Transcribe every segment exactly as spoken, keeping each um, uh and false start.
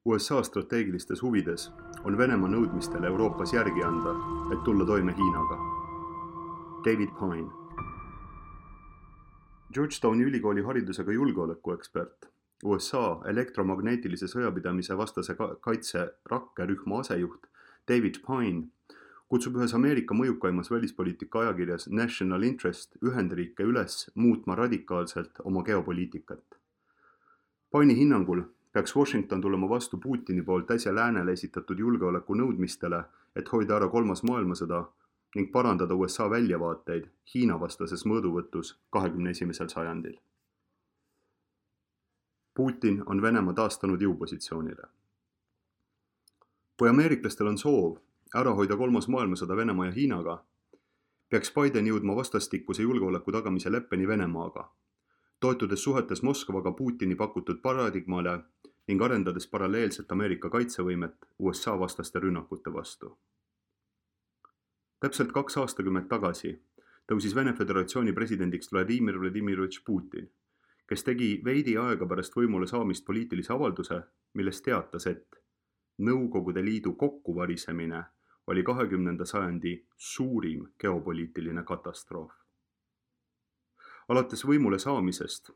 U S A strateegilistes huvides on Venemaa nõudmistele Euroopas järgi anda, et tulla toime Hiinaga. David Pine. Georgetowni ülikooli haridusega julgeolekuekspert, U S A elektromagneetilise sõjapidamise vastase kaitse rakkerühma asejuht David Pine kutsub ühes Ameerika mõjukaimas välispoliitika ajakirjas National Interest Ühendriike üles muutma radikaalselt oma geopoliitikat. Pine'i hinnangul peaks Washington tulema vastu Putini poolt äsja läänele esitatud julgeoleku nõudmistele, et hoida ära kolmas maailmasõda ning parandada U S A väljavaateid Hiina vastases mõõduvõtus kahekümne esimesel sajandil. Putin on Venemaa taastanud jõupositsioonile. Kui ameeriklastel on soov ära hoida kolmas maailmasõda Venemaa ja Hiinaga, peaks Biden jõudma vastastikuse julgeoleku tagamise leppeni Venemaaga, toetudes suhetes Moskvaga Putini pakutud paradigmale ning arendades paralleelselt Ameerika kaitsevõimet U S A vastaste rünnakute vastu. Täpselt kaks aastakümmet tagasi tõusis Vene Föderatsiooni presidendiks Vladimir Vladimirovitš Putin, kes tegi veidi aega pärast võimule saamist poliitilise avalduse, milles teatas, et Nõukogude Liidu kokkuvarisemine oli kahekümnenda sajandi suurim geopoliitiline katastroof. Alates võimule saamisest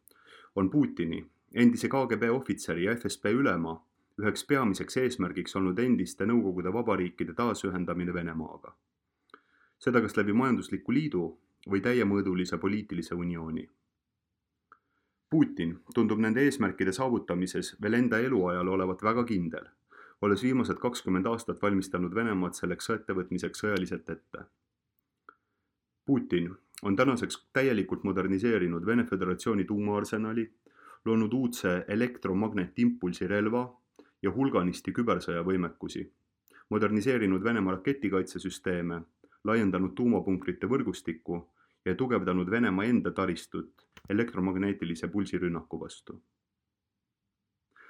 on Putini, endise K G B ohvitseri ja F S B ülema, üheks peamiseks eesmärgiks olnud endiste Nõukogude vabariikide taasühendamine Venemaaga. Seda kas läbi majandusliku liidu või täiemõõdulise poliitilise uniooni. Putin tundub nende eesmärkide saavutamises veel enda eluajal olevat väga kindel, olles viimased kakskümmend aastat valmistanud Venemaad selleks ettevõtmiseks sõjaliselt ette. Putin on tänaseks täielikult moderniseerinud Vene Föderatsiooni tuumaarsenali, loonud uudse elektromagnetimpulsirelva ja hulganisti kübersõjavõimekusi, moderniseerinud Venemaa raketikaitsesüsteeme, laiendanud tuumapunkrite võrgustikku ja tugevdanud Venemaa enda taristut elektromagneetilise pulsirünnaku vastu.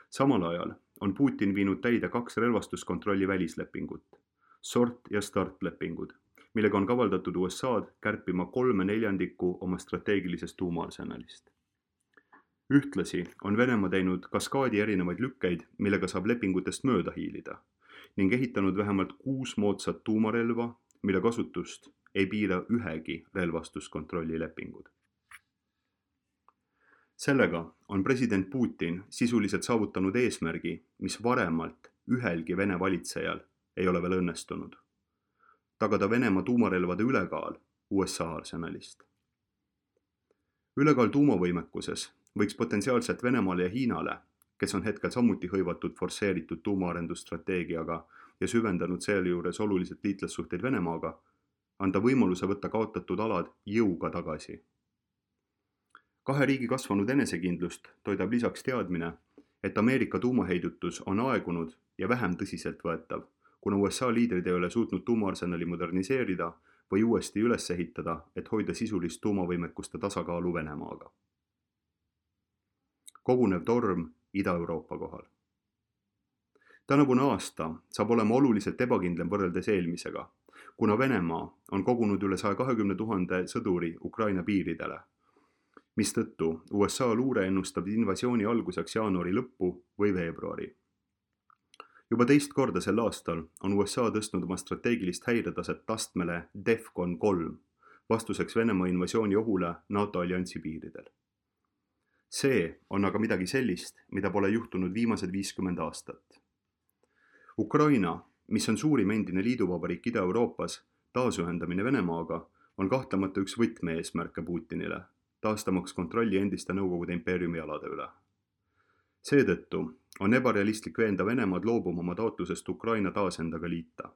Samal ajal on Putin viinud täide kaks relvastuskontrolli välislepingut, SORT ja START lepingud, millega on kavaldatud U S A-d kärpima kolme neljandikku oma strateegilisest tuumaarsenalist. Ühtlasi on Venemaa teinud kaskaadi erinevaid lükkeid, millega saab lepingutest mööda hiilida, ning ehitanud vähemalt kuus moodsat tuumarelva, mille kasutust ei piira ühegi relvastuskontrolli lepingud. Sellega on president Putin sisuliselt saavutanud eesmärgi, mis varemalt ühelgi Vene valitsejal ei ole veel õnnestunud. Tagada Venemaa tuumarelvade ülekaal U S A arsenalist. Ülekaal tuumavõimekuses võiks potentsiaalselt Venemaale ja Hiinale, kes on hetkel samuti hõivatud forsseeritud tuumaarendusstrateegiaga ja süvendanud sealjuures oluliselt liitlassuhteid Venemaaga, anda võimaluse võtta kaotatud alad jõuga tagasi. Kahe riigi kasvanud enesekindlust toidab lisaks teadmine, et Ameerika tuumaheidutus on aegunud ja vähem tõsiselt võetav, kuna U S A liidrid ei ole suutnud tuumaarsenali moderniseerida või uuesti üles ehitada, et hoida sisulist tuumavõimekuste tasakaalu Venemaaga. Kogunev torm Ida-Euroopa kohal. Tänavune aasta saab olema oluliselt ebakindlem võrreldes eelmisega, kuna Venemaa on kogunud üle saja kahekümne tuhande sõduri Ukraina piiridele, mistõttu U S A luure ennustab invasiooni alguseks jaanuari lõppu või veebruari. Juba teist korda sel aastal on U S A tõstnud oma strateegilist häiretaset astmele DEFCON kolm, vastuseks Venemaa invasiooni ohule NATO alliansi piiridel. See on aga midagi sellist, mida pole juhtunud viimased viiskümmend aastat. Ukraina, mis on suurim endine liiduvabariik Ida-Euroopas, taasühendamine Venemaaga on kahtlemata üks võtmeeesmärke Putinile, taastamaks kontrolli endiste Nõukogude impeeriumi alade üle. Seetõttu on ebarealistlik veenda Venemaad loobuma oma taotlusest Ukraina taas endaga liita.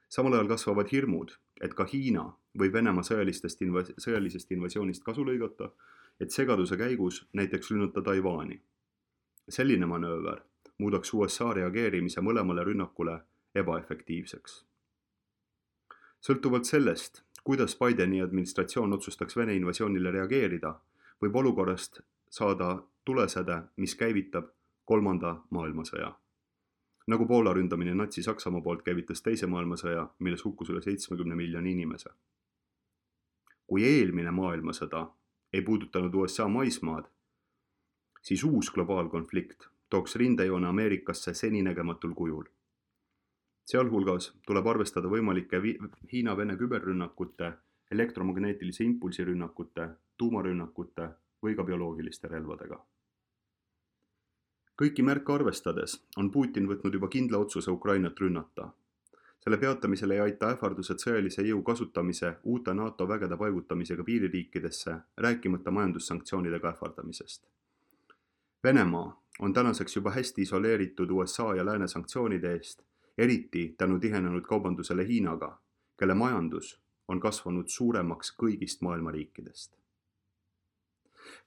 Samal ajal kasvavad hirmud, et ka Hiina võib Venemaa sõjalistest invas- sõjalisest invasioonist kasu lõigata, et segaduse käigus näiteks rünnata Taiwani. Selline manööver muudaks U S A reageerimise mõlemale rünnakule ebaefektiivseks. Sõltuvalt sellest, kuidas Bideni administratsioon otsustaks Vene invasioonile reageerida, võib olukorrast saada tulesäde, mis käivitab kolmanda maailmasõja. Nagu Poola ründamine Natsi-Saksamaa poolt käivitas teise maailmasõja, milles hukkus üle seitsmekümne miljoni inimese. Kui eelmine maailmasõda ei puudutanud U S A maismaad, siis uus globaalkonflikt tooks rindejoone Ameerikasse seninägematul kujul. Sealhulgas tuleb arvestada võimalike Hiina-Vene küberrünnakute, elektromagneetilise impulsirünnakute, tuumarünnakute või ka bioloogiliste relvadega. Kõiki märke arvestades on Putin võtnud juba kindla otsuse Ukrainat rünnata. Selle peatamisele ei aita ähvardused sõjalise jõu kasutamise uute NATO vägede paigutamisega piiririikidesse, rääkimata majandussanktsioonidega ähvardamisest. Venemaa on tänaseks juba hästi isoleeritud U S A ja lääne sanktsioonide eest, eriti tänu tihenenud kaubandusele Hiinaga, kelle majandus on kasvanud suuremaks kõigist maailma riikidest.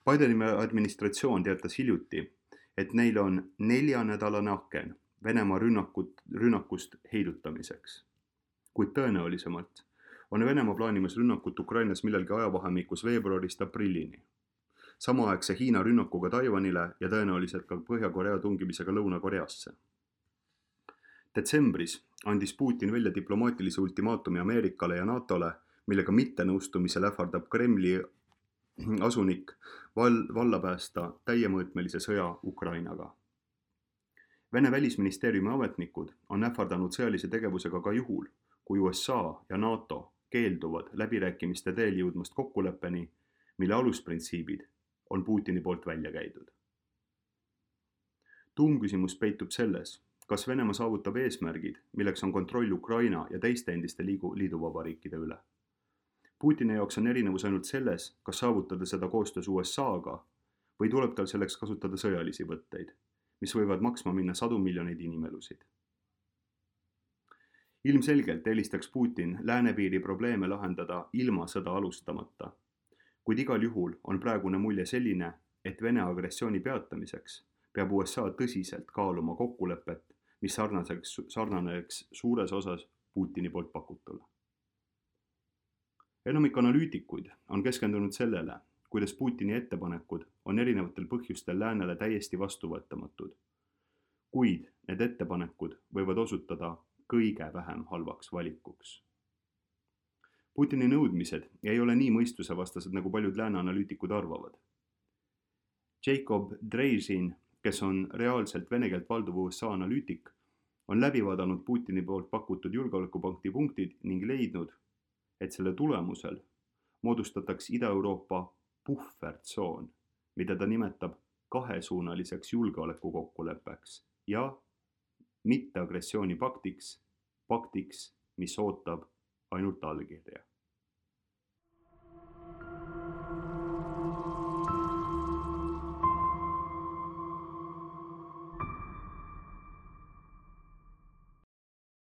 Bideni administratsioon teatas hiljuti, et neil on neljanädalane aken Venemaa rünnakut, rünnakust heidutamiseks. Kuid tõenäolisemalt on Venemaa plaanimas rünnakut Ukrainas millalgi ajavahemikus veebruarist aprillini. Samaaegse Hiina rünnakuga Taiwanile ja tõenäoliselt ka Põhja-Korea tungimisega Lõuna-Koreasse. Detsembris andis Putin välja diplomaatilise ultimaatumi Ameerikale ja NATOle, millega mittenõustumisel ähvardab Kremli asunik val- valla päästa täiemõõtmelise sõja Ukrainaga. Vene välisministeeriumi ametnikud on ähvardanud sõjalise tegevusega ka juhul, kui U S A ja NATO keelduvad läbirääkimiste teel jõudmast kokkuleppeni, mille alusprintsiibid on Putini poolt välja käidud. Tuumküsimus peitub selles, kas Venemaa saavutab eesmärgid, milleks on kontroll Ukraina ja teiste endiste liigu, liiduvabariikide üle. Putini jaoks on erinevus ainult selles, kas saavutada seda koostöös U S A-ga või tuleb tal selleks kasutada sõjalisi võtteid, mis võivad maksma minna sadu miljoneid inimelusid. Ilmselgelt eelistaks Putin läänepiiri probleeme lahendada ilma sõda alustamata, kuid igal juhul on praegune mulje selline, et Vene agressiooni peatamiseks peab U S A tõsiselt kaaluma kokkulepet, mis sarnaseks, sarnaneks suures osas Putini poolt pakutule. Enamik analüütikuid on keskendunud sellele, kuidas Putini ettepanekud on erinevatel põhjustel läänele täiesti vastuvõetamatud, kuid need ettepanekud võivad osutada kõige vähem halvaks valikuks. Putini nõudmised ei ole nii mõistusevastased, nagu paljud lääne analüütikud arvavad. Jacob Dreizin, kes on reaalselt vene keelt valduv U S A analüütik, on läbi vaadanud Putini poolt pakutud julgeolekupakti punktid ning leidnud, et selle tulemusel moodustataks Ida-Euroopa puhvertsoon, mida ta nimetab kahesuunaliseks julgeolekukokkuleppeks ja mitteagressiooni paktiks, paktiks, mis ootab ainult allkirja.